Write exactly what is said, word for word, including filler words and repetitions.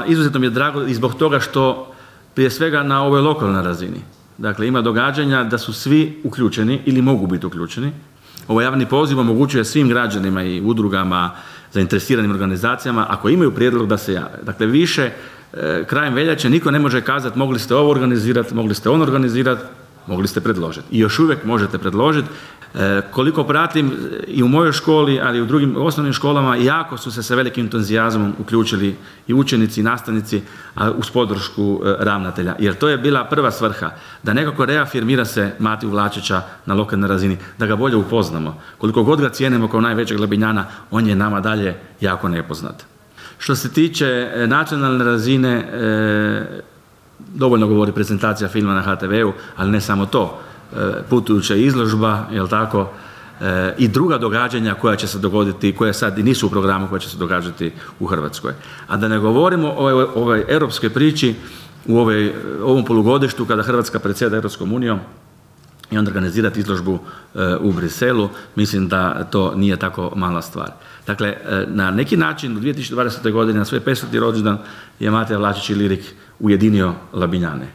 izuzetno mi je drago i zbog toga što prije svega na ovoj lokalnoj razini. Dakle, ima događanja da su svi uključeni ili mogu biti uključeni. Ovaj javni poziv omogućuje svim građanima i udrugama, zainteresiranim organizacijama, ako imaju prijedlog da se jave. Dakle, više e, krajem veljače niko ne može kazati mogli ste ovo organizirati, mogli ste ono organizirati, mogli ste predložiti. I još uvijek možete predložiti. E, koliko pratim i u mojoj školi, ali i u drugim osnovnim školama, jako su se sa velikim entuzijazmom uključili i učenici i nastavnici, a uz podršku e, ravnatelja. Jer to je bila prva svrha, da nekako reafirmira se Matiju Vlačića na lokalnoj razini, da ga bolje upoznamo. Koliko god ga cijenimo kao najvećeg Labinjana, on je nama dalje jako nepoznat. Što se tiče e, nacionalne razine, e, dovoljno govori prezentacija filma na ha te veu, ali ne samo to. Putujuća izložba, jel tako, e, i druga događanja koja će se dogoditi, koje sad i nisu u programu, koja će se događati u Hrvatskoj. A da ne govorimo o ovoj, ovoj europskoj priči u ovoj, ovom polugodištu kada Hrvatska predsjeda Europskom unijom i onda organizirati izložbu e, u Briselu, mislim da to nije tako mala stvar. Dakle, e, na neki način u dvije tisuće dvadesete. godine na svoj peseti rođendan je Matija Vlačić i Lirik ujedinio Labinjane.